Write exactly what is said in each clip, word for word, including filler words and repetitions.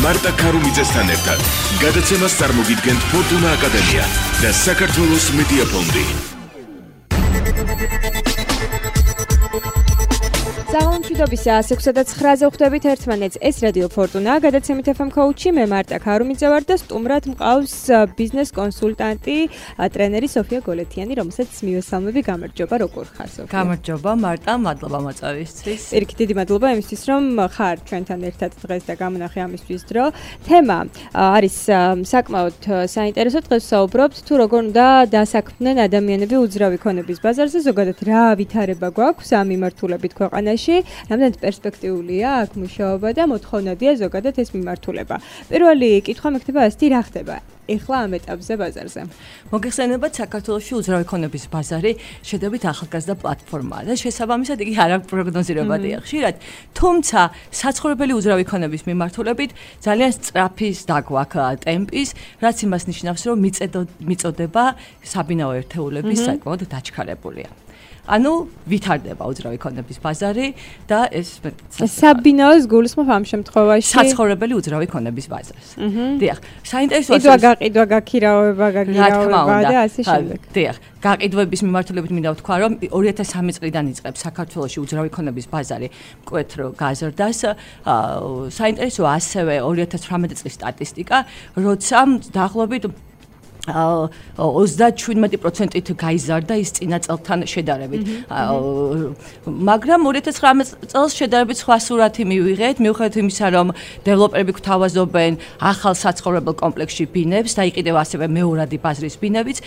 მარტა ქარუმიძესთან ერთად გადაცემას წარმოგიდგენთ ფორტუნა აკადემია და საქართველოს მედია ფონდი. საღამომშვიდობის ასექვსა და ცხრაზე ვხვდებით ერთმანეთს. ეს რადიო ფორტუნა, გადაცემით ეფ ემ ქოუჩი, მე მარტა ქარუმიძე ვარ და სტუმრად მყავს ბიზნეს კონსულტანტი, ტრენერი სოფია გოლეთიანი, რომელსაც მივესალმები. გამარჯობა, როგორ ხარ სოფია? გამარჯობა, მარტა, მადლობა მოწვევისთვის. პირიქით დიდი მადლობა იმისთვის, რომ ხარ ჩვენთან ერთად დღეს და გამონახე ამისთვის დრო. თემა არის საკმაოდ საინტერესო. დღეს ვსაუბრობთ თუ როგორ უნდა დასაქმდნენ ადამიანები უძრავი ქონების ბაზარზე, ზოგადად რა ვითარება გვაქვს ამ მიმართულებით ქვეყანაში. რამდენად პერსპექტიულია აქ მუშაობა და მოთხოვნადია ზოგადად ეს მიმართულება. პირველი კითხვა მექნება ასეთი, რა ხდება ეხლა ამ ეტაპზე ბაზარზე? მოგეხსენებათ, საქართველოში უძრავი ქონების ბაზარი შედარებით ახალგაზრდა პლატფორმაა და შესაბამისად იგი არ აქვს პროგნოზირებადია ხშირად, თუმცა საცხოვრებელი უძრავი ქონების მიმართულებით ძალიან სწრაფი დაგვაქვს ტემპის, რაც იმას ნიშნავს, რომ მიწოდება საბინაო ერთეულების საკმაოდ დაჩქარებულია. ანუ ვითარდება უძრავი ქონების ბაზარი და ეს საბინაოს გულისხმობ ამ შემთხვევაში საცხოვრებელი უძრავი ქონების ბაზარს. დიახ, საინტერესოა კიდვა გაყიდვა, გაქირავება, გაგირავება და ასე შემდეგ. დიახ, გაყიდვების მიმართულებით მინდა ვთქვა, რომ ორი ათას სამი წლიდან იწყებს საქართველოში უძრავი ქონების ბაზარი მკვეთრ გაზრდას. საინტერესოა ასევე ორი ათას თვრამეტი წლის სტატისტიკა, როცა დაახლოებით ოცდაშვიდ პროცენტით გაიზარდა ის წინა წელთან შედარებით. მაგრამ ორი ათას ცხრამეტ წელს შედარებით სხვა სურათი მივიღეთ, მიუხედავად იმისა, რომ დეველოპერები გვთავაზობენ ახალ საცხოვრებელ კომპლექსში ბინებს და იყიდევ ასევე მეორადი ბაზრის ბინებიც,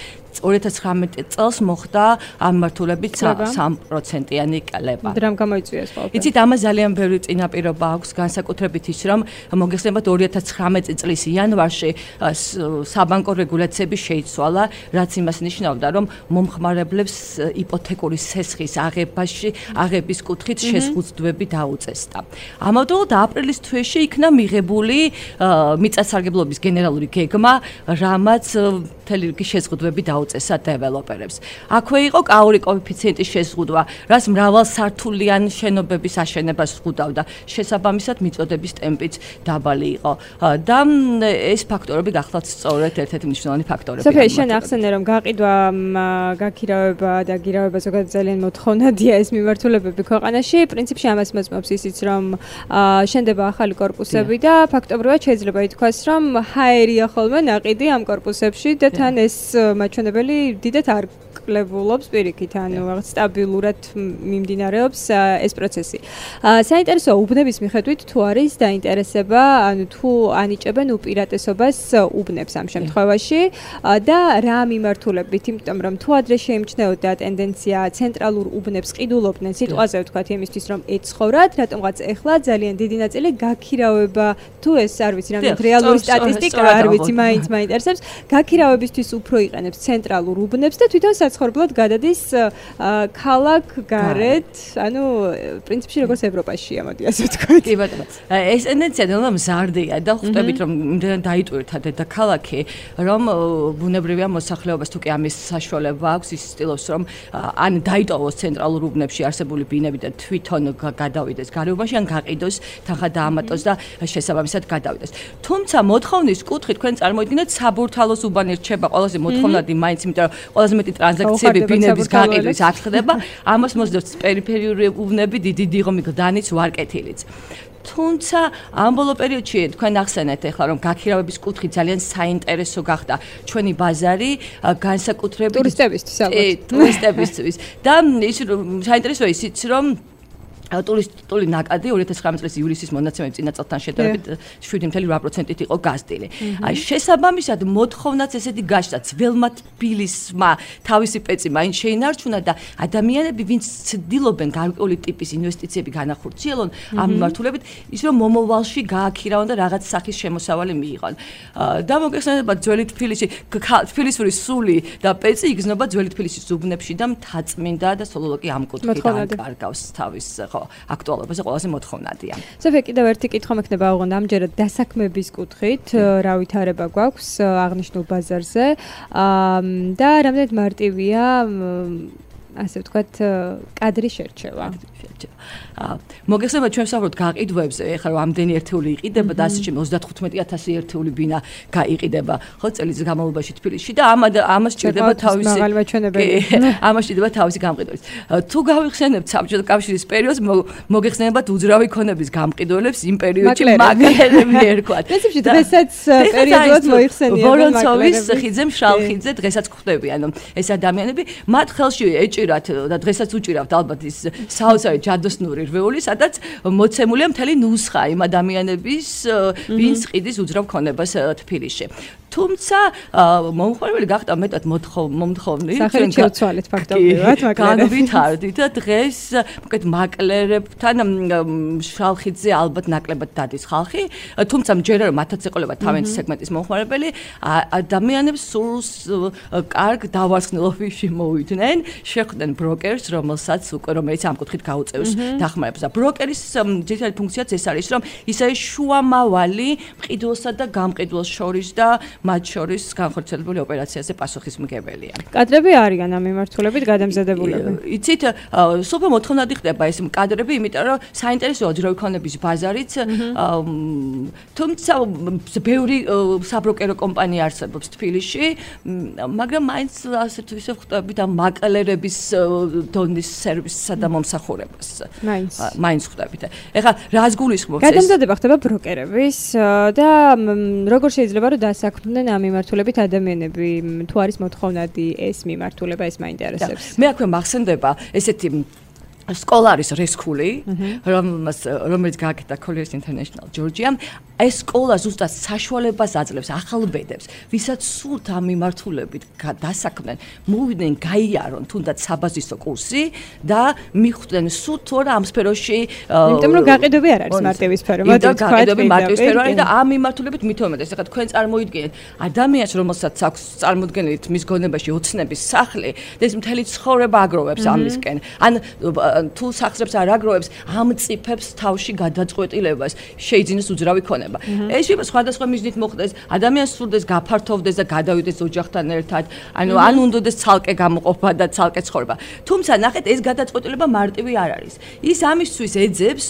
ორი ათას ცხრამეტ წელს მოხდა ამ მიმართულებით სამი პროცენტიანი კლება. დრამ გამოიწვია ეს ყველაფერი. იცით, ამას ძალიან ბევრი წინაპირობა აქვს, განსაკუთრებით ის, რომ მოგეხსენებათ ორი ათას ცხრამეტ წლის იანვარში საბანკო რეგულაციები შეიცვალა, რაც იმას ნიშნავდა, რომ მომხმარებლებს იპოთეკური სესხის აღებაში, აღების კუთხით შეზღუდვები დაუწესდა. ამავდროულად აპრილის თვეში იქნა მიღებული მიწათსარგებლობის გენერალური გეგმა, რამაც მთელი რიგი შეზღუდვები დაუწესა დეველოპერებს. აქვე იყო კაური კოეფიციენტის შეზღუდვა, რაც მრავალსართულიანი შენობების აშენებას ზღუდავდა. შესაბამისად, მიწოდების ტემპიც დაბალი იყო. და ეს ფაქტორები გახლავთ სწორედ ერთ-ერთი მნიშვნელოვანი ფაქტორები. სოფია, შენ ახსენე, რომ გაყიდვა, გაქირავება და გირავება ზოგადად ძალიან მოთხოვნადია ეს მიმართულებები ქვეყანაში. პრინციპში ამას მოწმობს ისიც, რომ შენდება ახალი კორპუსები და ფაქტობრივად შეიძლება ითქვას, რომ ჰაერია ხოლმე ნაყიდი ამ კორპუსებში და თან ეს მაჩვენებელი დიდად არ კლებულობს პირიქით, ანუ რაღაც სტაბილურად მიმდინარეობს ეს პროცესი. საინტერესოა უბნების მიხედვით თუ არის დაინტერესება, ანუ თუ ანიჭებენ უპირატესობას უბნებს ამ შემთხვევაში და რა მიმართულებით, იმიტომ რომ თუ ადრე შეიმჩნეოდა ტენდენცია ცენტრალურ უბნებს ყიდულობდნენ, სიტყვაზე ვთქვათ იმისთვის, რომ ეცხოვრათ, რატომღაც ეხლა ძალიან დიდი ნაწილი გაქირავება, თუ ეს არ ვიცი, რამდენად რეალური სტატისტიკა არ ვიცი, მაინც მაინტერესებს, გაქირავებისთვის უფრო იყენებს ცენტრალურ უბნებს და თვითონ საცხოვრებლად გადადის ქალაქ გარეთ, ანუ პრინციპში როგორც ევროპაშია, მოდი ასე ვთქვათ. კი ბატონო. ეს ტენდენცია ნელა მზარდია და ხვდებით, რომ იმდენად დაიტვირთა დედაქალაქი, რომ ბუნებრივია მოსახლეობას თუ კი ამის საშუალება აქვს, ის ცდილობს, რომ ან დაიტოვოს ცენტრალურ უბნებში არსებული ბინები და თვითონ გადავიდეს გარეუბანში, ან გაყიდოს, თანხა დაამატოს და შესაბამისად გადავიდეს. თუმცა მოთხოვნის კუთხით თქვენ წარმოიდგინეთ, საბურთალოს უბანი რჩება ყველაზე მოთხოვნადი მაინც, იმიტომ რომ ყველაზე მეტი ტრანზაქციები ბინების გაყიდვის აქ ხდება, ამას მოსდევს პერიფერიული უბნები, დიდი დიღომი გდანიც, ვარკეთილიც. თუმცა ამ ბოლო პერიოდში თქვენ ახსენეთ ახლა, რომ გაქირავების კუთხით ძალიან საინტერესო გახდა ჩვენი ბაზარი, განსაკუთრებით ტურისტებისთვის ალბათ. ტურისტებისთვის და ის საინტერესოა ისიც, რომ ტურისტული ნაკადი ორი ათას ცხრამეტ წლის ივლისის მონაცემებით წინა წელთან შედარებით შვიდი კoma ორი პროცენტით იყო გაზრდილი. აი შესაბამისად მოთხოვნაც ესეთი გაჩნდა, ძველმა თბილისმა თავისი პეცი მაინც შეინარჩუნა და ადამიანები, ვინც ცდილობენ გარკვეული ტიპის ინვესტიციები განახორციელონ ამ მიმართულებით, ის რომ მომავალში გააქირავონ და რაღაც სახის შემოსავალი მიიღონ. და მოგეხსენებათ, ძველი თბილისი, თბილისური სული და პეცი იგრძნობა ძველი თბილისის უბნებში და მთაწმინდა და სოლოლოკი ამ კუთხით აკარგავს თავის ხო აქტუალობაზე ყველაზე მოთხოვნადია. სოფია, კიდევ ერთი კითხვა მექნება აღონ ამჯერად დასაქმების კუთხით, რა ვითარება გვაქვს აღნიშნულ ბაზარზე და რამდენად მარტივია ასე ვთქვათ, კადრი შერჩევა. მოგეხსენება ჩვენ ვსაუბრობთ გაყიდვებზე, ეხლა რომ ამდენი ერთეული იყიდება და ასე ოცდათხუთმეტი ათასი ერთეული ბინა გაიყიდება, ხო, წელიწადის განმავლობაში თბილისში და ამ ამას ჭირდება თავისი ამას ჭირდება თავისი გამყიდველის. თუ გავიხსენებთ საბჭოთა კავშირის პერიოდს, მოგეხსენებათ უძრავი ქონების გამყიდველებს იმ პერიოდში მაკლერები ერქვათ. პრინციპში დღესაც პერიოდულად მოიხსენიებენ ვორონცოვის ხიძე, მშრალხიძე დღესაც ხვდები, ანუ ეს ადამიანები მათ ხელში ეჭირათ და დღესაც უჭირავთ ალბათ ის საოცარი ჯადოსნური რვეული, სადაც მოცემულია მთელი ნუსხა იმ ადამიანების, ვინც ყიდის უძრავ ქონებას თბილისში. თუმცა მომხმარებელი გახდა მეტად მომთხოვნი, ჩვენ შევცვალეთ ფაქტობრივად, მაგრამ განვითარდით და დღეს მოკეთ მაკლერებთან შალხიძე ალბათ ნაკლებად დადის ხალხი, თუმცა მჯერა რომ მათაც ეყოლებათ თავიანთი სეგმენტის მომხმარებელი, ადამიანებს სულს კარგ დავარცხნილობაში მოვიდნენ, შეხვდნენ ბროკერს, რომელსაც უკვე რომელიც ამ კუთხით გაუწევს დახმარებას. და ბროკერის ძირითადი ფუნქციაც ეს არის, რომ ის არის შუამავალი მყიდველსა და გამყიდველს შორის და მათ შორის განხორციელებული ოპერაციაზე პასუხისმგებელია. კადრები არიან ამ მიმართულებით გადამზადებულები. იცით, სოფელ მოთხოვნადი ხდება ეს კადრები, იმიტომ რომ საინტერესოა უძრავი ქონების ბაზარიც, თუმცა ბევრი საბროკერო კომპანია არსებობს თბილისში, მაგრამ მაინც ასე თუ ისე ხვდებით ამ მაკლერების დონის სერვისსა და მომსახურებას. მაინც მაინც ხვდებით. ეხლა რას გულისხმობს ეს? გადამზადება ხდება ბროკერების და როგორ შეიძლება რომ დასაქმდნენ ამ მიმართულებით ადამიანები, თუ არის მოთხოვნადი ეს მიმართულება, ეს მაინტერესებს. მე აქვე მახსენდება ესეთი სკოლა არის რესკული, რომელიც გააკეთა Colliers International Georgia. ეს სკოლა ზუსტად საშუალებას აძლევს ახალ ბედებს, ვისაც სურთ ამ მიმართულებით დასაქმდნენ, მოვიდნენ გაიარონ თუნდაც საბაზისო კურსი და მიხვდნენ სულ თუ არა ამ სფეროში. იმიტომ რომ გაყიდვები არ არის მარტივი სფერო, მაგრამ გაყიდვები მარტივი სფერო არის და ამ მიმართულებით მithomეთ, ეხლა თქვენ წარმოიდგინეთ ადამიანს, რომელსაც აქვს წარმოდგენით მის გონებაში ოცნების სახლი და ეს მთელი ცხოვრება აგროვებს ამისკენ. ან თუ სახსრებს არ აგროვებს, ამწიფებს თავში გადაწყვეტილებას, შეიძინოს უძრავი ქონება. ეს შეიძლება სხვადასხვა მიზნით მოხდეს, ადამიანს სურდეს გაფართოვდეს და გადავიდეს ოჯახთან ერთად, ანუ ან უნდადეს ცალკე გამოყოფა და ცალკე ცხოვრება. თუმცა ნახეთ, ეს გადაწყვეტილება მარტივი არ არის. ის ამისთვის ეძებს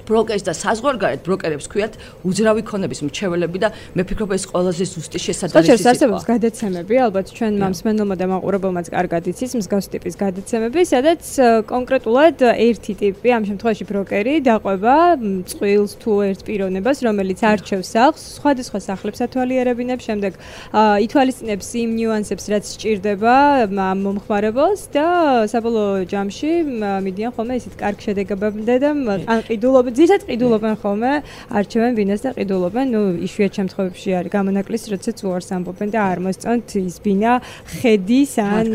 ბროკერს და საზღვარგარეთ ბროკერებს ქვიათ უძრავი ქონების მრჩეველები და მე ფიქრობ ეს ყველაზე ზუსტი შესაძლებელი სიტყვაა. არსებობს გადაცემები, ალბათ ჩვენ მსმენელმა და მაყურებელმაც კარგად იცის მსგავს ტიპის გადაცემები, სადაც კონკრეტულად ერთი ტიპი, ამ შემთხვევაში ბროკერი, დაყვება წყვილს თუ ერთ პიროვნებას, რომელიც არჩევს სახლს, სხვადასხვა სახლებს ათვალიერებინებს, შემდეგ ითვალისწინებს იმ ნიუანსებს, რაც სჭირდება მომხმარებელს და საბოლოო ჯამში მიდიან ხოლმე ისეთ კარგ შედეგებამდე და ანყიდულობ ძირითადად ყიდულობენ ხოლმე, არჩევენ ბინას და ყიდულობენ, ნუ იშვიათ შემთხვევებში არის გამონაკლისი, როდესაც უარს ამბობენ და არ მოსწონთ ის ბინა ხედის ან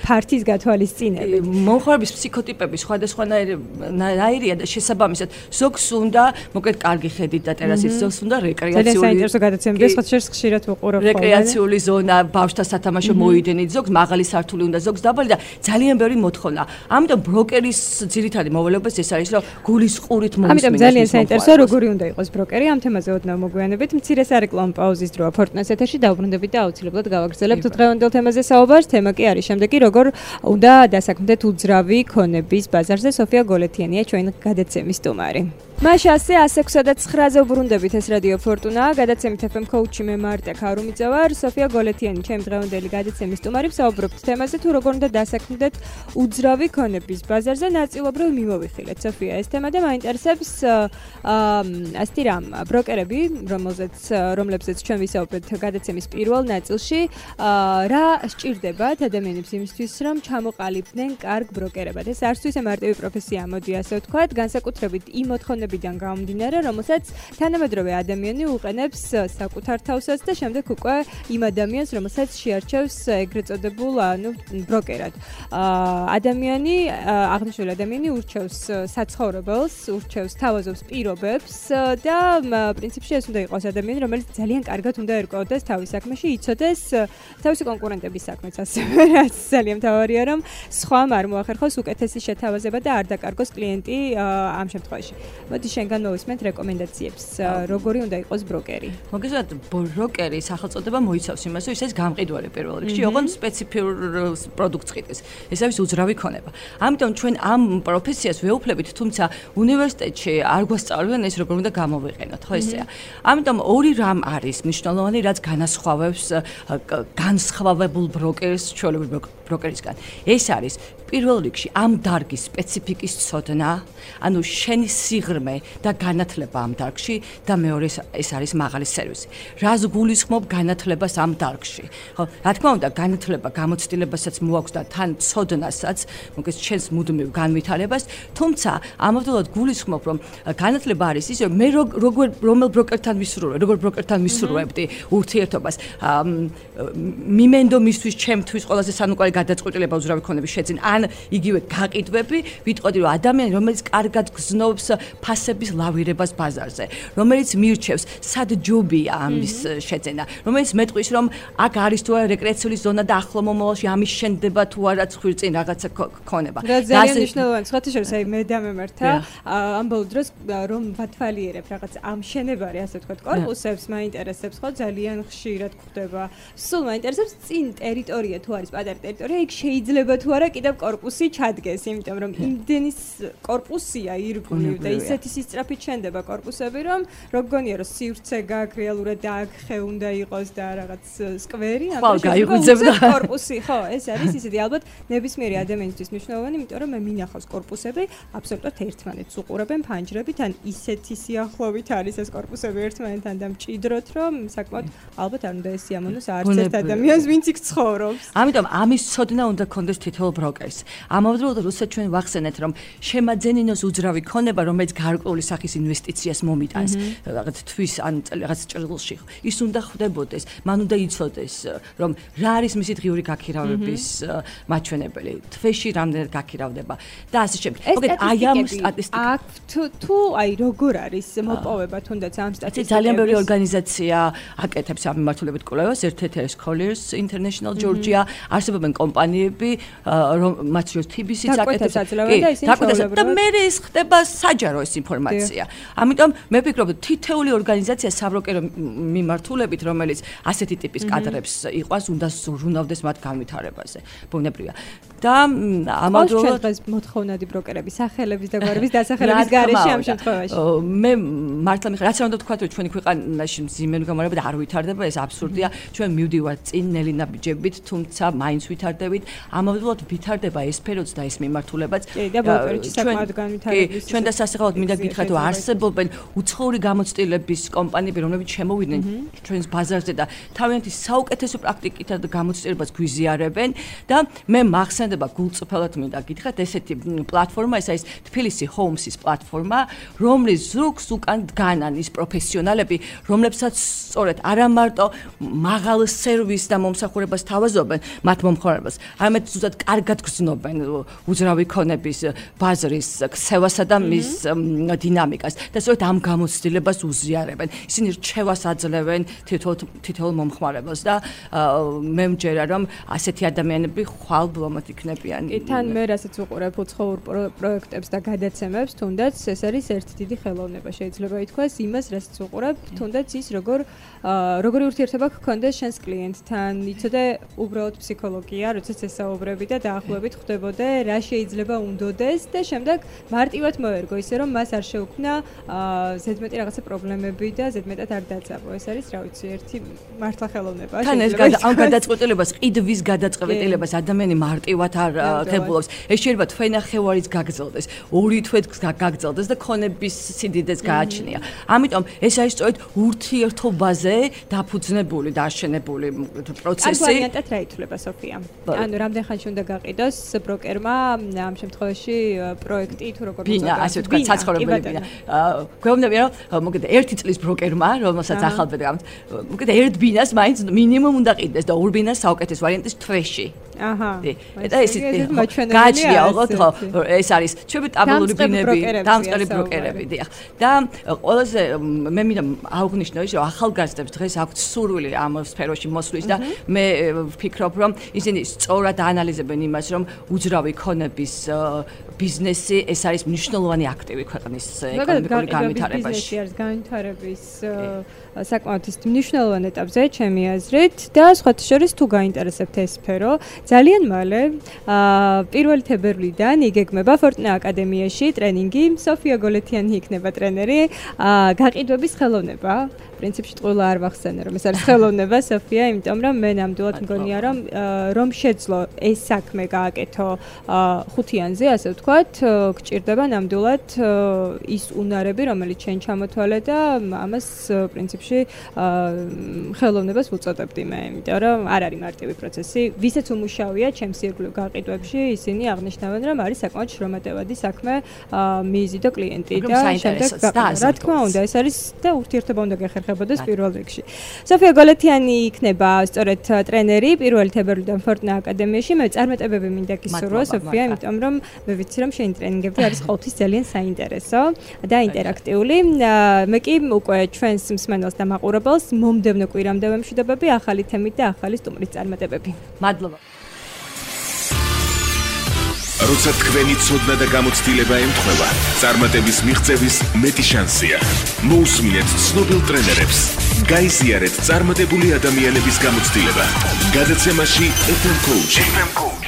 ფართის გათვალისწინებით. მომხმარების ფსიქოტიპები სხვადასხვანაირია და შესაბამისად ზოგს უნდა მოკეთ კარგი ხედით და ტერასით, ზოგს უნდა რეკრეაციული. ძალიან საინტერესო გადაცემები, სხვა შერს ხშირად ვუყურებ ხოლმე. რეკრეაციული ზონა, ბავშვთა სათამაშო მოედნით, ზოგს მაღალი სართული უნდა, ზოგს დაბალი და ძალიან ბევრი მოთხოვნა. ამიტომ ბროკერის ძირითადი მოვალეობას ეს არის, რომ გულისყურით მომისმინოს. ამიტომ ძალიან საინტერესოა როგორი უნდა იყოს ბროკერი, ამ თემაზე ოდნავ მოგვიანებით. მცირე სარეკლამო პაუზის დროა Fortnite ეთერში დავბრუნდებით და აუცილებლად გავაგრძელებთ დღევანდელ თემაზე საუბარს. თემა კი არის შემდეგი, როგორ უნდა დასაქმდეთ უძრავი ქონების ბაზარზე. სოფია გოლეთიანია ჩვენ გადაცემის სტუმარი. მაშასე ასე ექვსი და ცხრაზე ვბრუნდებით, ეს რადიო ფორტუნა, გადაცემით ეფ ემ კოუჩი მე მარტა ქარუმიძე ვარ, სოფია გოლეთიანი ჩემი დღევანდელი გადაცემის სტუმარი. ვსაუბრობთ თემაზე, თუ როგორ უნდა დასაქმდეთ უძრავი ქონების ბაზარზე. ნაწილობრივ მიმოვიხილეთ სოფია ეს თემა და მაინტერესებს ასეთი რამ ბროკერები, რომელზეც რომლებზეც ჩვენ ვისაუბრეთ გადაცემის პირველ ნაწილში, რა სჭირდებათ ადამიანებს იმისთვის, რომ ჩამოყალიბდნენ კარგ ბროკერებად. ეს არც თუ ისე მარტივი პროფესია, მოდი ასე ვთქვათ, განსაკუთრებით იმ მოთხოვნებიდან გამომდინარე, რომელსაც თანამედროვე ადამიანი უყენებს საკუთარ თავსაც და შემდეგ უკვე იმ ადამიანს, რომელსაც შეარჩევს ეგრეთ წოდებულ, ანუ ბროკერად. ადამიანი, აღნიშნული ადამიანი ურჩევს საცხოვრებელს, ურჩევს თავაზობს პირობებს და პრინციპში ეს უნდა იყოს ადამიანი, რომელიც ძალიან კარგად უნდა ერკვეოდეს თავის საქმეში, იცოდეს თავისი კონკურენტების საქმეც ასევე, რაც ძალიან მთავარია, რომ სხვამ არ მოახერხოს უკეთესი შეთავაზება და არ დაკარგოს კლიენტი ამ შემთხვევაში. მოდი შენგან მოვისმენთ რეკომენდაციებს. როგორი უნდა იყოს ბროკერი? მოგესალმებით, ბროკერი სახელწოდება მოიცავს იმას, რომ ის არის გამყიდველი პირველ რიგში, ოღონდ სპეციფიურ პროდუქტს ყიდის. ეს არის უძრავი ქონება. ამიტომ ჩვენ ამ პროფესიას ვეუფლებით, თუმცა უნივერსიტეტში არ გვასწავლიან ეს როგორ უნდა გამოვიყენოთ, ხო ესეა. ამიტომ ორი რამ არის მნიშვნელოვანი, რაც განასხვავებს განსხვავებულ ბროკერს ჩვეულებრივ ბროკერისგან. ეს არის პირველ რიგში ამ დარგის სპეციფიკის ცოდნა, ანუ შენი სიღრმე და განათლება ამ დარგში და მეორე ეს არის მაღალი სერვისი. რას გულისხმობ განათლებას ამ დარგში? ხო, რა თქმა უნდა, განათლება გამოცდილებასაც მოაქვს და თან ცოდნასაც, მოგეს ჩვენს მუდმივ განვითარებას, თუმცა ამავდროულად გულისხმობ, რომ განათლება არის ის, რომ მე როგორ რომელ ბროკერთან ვისურვებ, როგორ ბროკერთან ვისურვებდი ურთიერთობას, მიმენდო მისთვის ჩემთვის ყველაზე სანუკვარი გადაწყვეტილება უძრავი ქონების შეძენ ან იგივე გაყიდვები, ვიტყოდი რომ ადამიანი, რომელიც კარგად გზნობს ფასების ლავირებას ბაზარზე, რომელიც მირჩევს სად ჯობია ამის შეძენა, რომელიც მეტყვის რომ აქ არის თუ არა რეკრეაციული ზონა და ახლო მომავალში ამის შენდება თუ არა ცხვირწინ რაღაცა ქონება. რა ძალიან მნიშვნელოვანი, სხვათა შორის აი მე და მემართა ამ ბოლო დროს რომ ვათვალიერებ რაღაც ამშენებარი, ასე ვთქვათ, კორპუსებს მაინტერესებს ხო ძალიან ხშირად გვხდება. სულ მაინტერესებს წინ ტერიტორია თუ არის პატარა ტერიტორია, იქ შეიძლება თუ არა კიდევ კორპუსი ჩადგეს, იმიტომ რომ იმდენის კორპუსია ირგვლივ და ისეთი სისწრაფით შენდება კორპუსები, რომ როგგონია რომ სივრცე გაქვს რეალურად და აქ ხე უნდა იყოს და რაღაც სკვერი, ამიტომ კორპუსი, ხო, ეს არის ისეთი ალბათ ნებისმიერი ადამიანისთვის მნიშვნელოვანი, იმიტომ რომ მე მინახავს კორპუსები აბსოლუტურად ერთმანეთს უყურებენ ფანჯრებით, ან ისეთი სიახლოვით არის ეს კორპუსები ერთმანეთთან და მჭიდროთ, რომ საკმაოდ ალბათ არ უნდა ესიამოვნოს არც ერთ ადამიანს, ვინც იქ ცხოვრობს. ამიტომ ამის ცოდნა უნდა კონდეს თითოეულ ბროკერს. ამავდროულად როცა ჩვენ ვახსენეთ, რომ შემაძენინოს უძრავი ქონება, რომელიც გარკვეული სახის ინვესტიციას მომიტანს, რაღაც თვის ან რაღაც ჭრილში, ის უნდა ხვდებოდეს, მან უნდა იცოდეს, რომ რა არის მისი დღიური გაქირავების მაჩვენებელი, თვეში რამდენად გაქირავდება და ასე შემდეგ. მოგეთ აი ამ სტატისტიკა თუ აი როგორ არის მოპოვება თუნდაც ამ სტატისტიკას? ძალიან ბევრი ორგანიზაცია აკეთებს ამ მიმართულებით კვლევას, ერთ-ერთი არის Colliers International Georgia, არსებობენ კომპანიები, მათ შორის T B C-ც აკეთებს და მე ის ხდება საჯარო ეს ინფორმაცია. ამიტომ მე ვფიქრობ, თითეული ორგანიზაცია საბროკერო მიმართულებით, რომელიც ასეთი ტიპის კადრებს იყვას, უნდა ზრუნავდეს მათ განვითარებაზე. ბუნებრივია. და ამავდროულად დღეს მოთხოვნადი ბროკერები, სახელების და გვარების დასახელების გარეშე ამ შემთხვევაში. მე მართლა მიხარ, რაც რა უნდა ვთქვა, რომ ჩვენი ქვეყანაში მძიმე მდგომარეობა და არ ვითარდება, ეს აბსურდია. ჩვენ მივდივართ წინ ნელინა ბიჯებით, თუმცა მაინც ვითარდებით. ამავდროულად ვითარდება ეს სფეროც და ეს მიმართულებაც. კი, და ბროკერები საკმაოდ განვითარების. ჩვენ და სასახელოდ მინდა გითხრათ, რომ არსებობენ უცხოური გამოცდილების კომპანიები, რომლებიც შემოვიდნენ ჩვენს ბაზარზე და თავიანთი საუკეთესო პრაქტიკითა და გამოცდილებას გვიზიარებენ და მე მახსენდება გულწრფელად მინდა გითხრათ, ესეთი პლატფორმა, ეს არის თბილისი Homes-ის პლატფორმა, რომლის ზურგს უკან დგანან ის პროფესიონალები, რომლებსაც სწორედ არა მარტო მაღალ სერვისს და მომსახურებას თავაზობენ მათ მომხმარებელს, არამედ ზუსტად კარგად გრძნობენ უძრავი ქონების ბაზრის ქცევასა და მის დინამიკას და სწორედ ამ გამოცდილებას უზიარებენ. ისინი რჩევას აძლევენ თითოეულ მომხმარებელს და მე მჯერა რომ ასეთი ადამიანები ხვალ ბლომად იქნებიან. კი, თან მე რასაც უყურებ უცხოურ პროექტებს და გადაცემებს, თუნდაც ეს არის ერთი დიდი ხელოვნება, შეიძლება ითქვას, იმას რასაც უყურებ, თუნდაც ის როგორ როგორი ურთიერთობა გქონდეს შენს კლიენტთან, იცოდე უბრალოდ ფსიქოლოგია, როდესაც ესაუბრები და დაახლოებით ხვდებოდე რა შეიძლება უნდოდეს და შემდეგ მარტივად მოერგო ისე რომ მას არ შეუქმნა ზედმეტი რაღაცა პრობლემები და ზედმეტად არ დაწაბო. ეს არის რა ვიცი, ერთი მართლა ხელოვნება. თან ეს ამ გადაწყვეტილებას, ყიდვის გადაწყვეტილებას ადამიანი მარტივად არ ღებულობს. ეს შეიძლება თვენახევარიც გაგრძელდეს, ორი თვეც გაგრძელდეს და ქონების სიდიდეს გააჩნია. ამიტომ ეს არის სწორედ ურთიერთობაზე დაფუძნებული და აშენებული პროცესი. ამ ვარიანტად რა ითვლება სოფია? ანუ რამდენ ხანში უნდა გაყიდოს ბროკერმა ამ შემთხვევაში პროექტი თუ როგორ მოწოდებს? ბინა, ასე ვთქვათ, საცხოვრებელი ბინა. გვეუბნები რომ მოგეთ ერთი წლის ბროკერმა, რომელსაც ახალბედა გამთ, მოგეთ ერთ ბინას მაინც მინიმუმ უნდა ყიდდეს და ორ ბინას საუკეთესო ვარიანტის თვეში. აჰა. და ეს გაჩნია ოღონდ ეს არის ჩვენი ტაბლური ბინები, დამწყები ბროკერები, დიახ. და ყველაზე მე მინდა აღვნიშნო ის რომ ახალგაზრდებს დღეს აქვთ სურვილი ამ სფეროში მოსვლის და მე ვფიქრობ რომ ისინი სწორად აანალიზებენ იმას რომ უძრავი ქონების ბიზნესი ეს არის მნიშვნელოვანი აქტივი ქვეყნის ეკონომიკური განვითარებაში. ბიზნესი არის განვითარების საკმაოდ მნიშვნელოვან ეტაპზე ჩემი აზრით და სხვათა შორის თუ გაინტერესებთ ეს სფერო ძალიან მალე პირველი თებერვლიდან იგეგმება Fortuna აკადემიაში ტრენინგი სოფია გოლეთიანი იქნება ტრენერი გაყიდვების ხელოვნება პრინციპში ყველა არ ვახსენე რომ ეს არის ხელოვნება სოფია იმიტომ რომ მე ნამდვილად მგონია რომ რომ შეძლო ეს საქმე გააკეთო ხუთიანზე ასე ვთქვათ გჭირდება ნამდვილად ის უნარები რომელიც ჩვენ ჩამოთვალე და ამას პრინციპში ხელოვნებას ვუწოდებდი მე იმიტომ რომ არ არის მარტივი პროცესი ვისაც უმუშავია ჩემს ირგვლივ გაყიდვებში ისინი აღნიშნავენ რომ არის საკმაოდ შრომატევადი საქმე მიზი და კლიენტი და შემდეგ რა თქმა უნდა ეს არის და ურთიერთობა უნდა გეხერხებოდეს პირველ რიგში სოფია გოლეთიანი იქნება სწორედ ტრენერი პირველი თებერვლიდან Fortuna აკადემიაში მე წარმატებები მინდა გისურვო სოფია იმიტომ რომ მე ვიცი რომ შენი ტრენინგები არის ყოველთვის ძალიან საინტერესო და ინტერაქტიული მე კი უკვე ჩვენს მსმენელს და მაყურებელს მომდევნო კვირამდე ვემშვიდობები ახალი თემით და ახალი სტუმრის წარმატებები მადლობა როცა თქვენი ცოდნა და გამოცდილება ემთხვევა წარმატების მიღწევის მეტი შანსია მოусმინეთ ცნობილ ტრენერებს გაიზიარეთ წარმატებული ადამიანების გამოცდილება გადაცემაში ეფ ემ Coach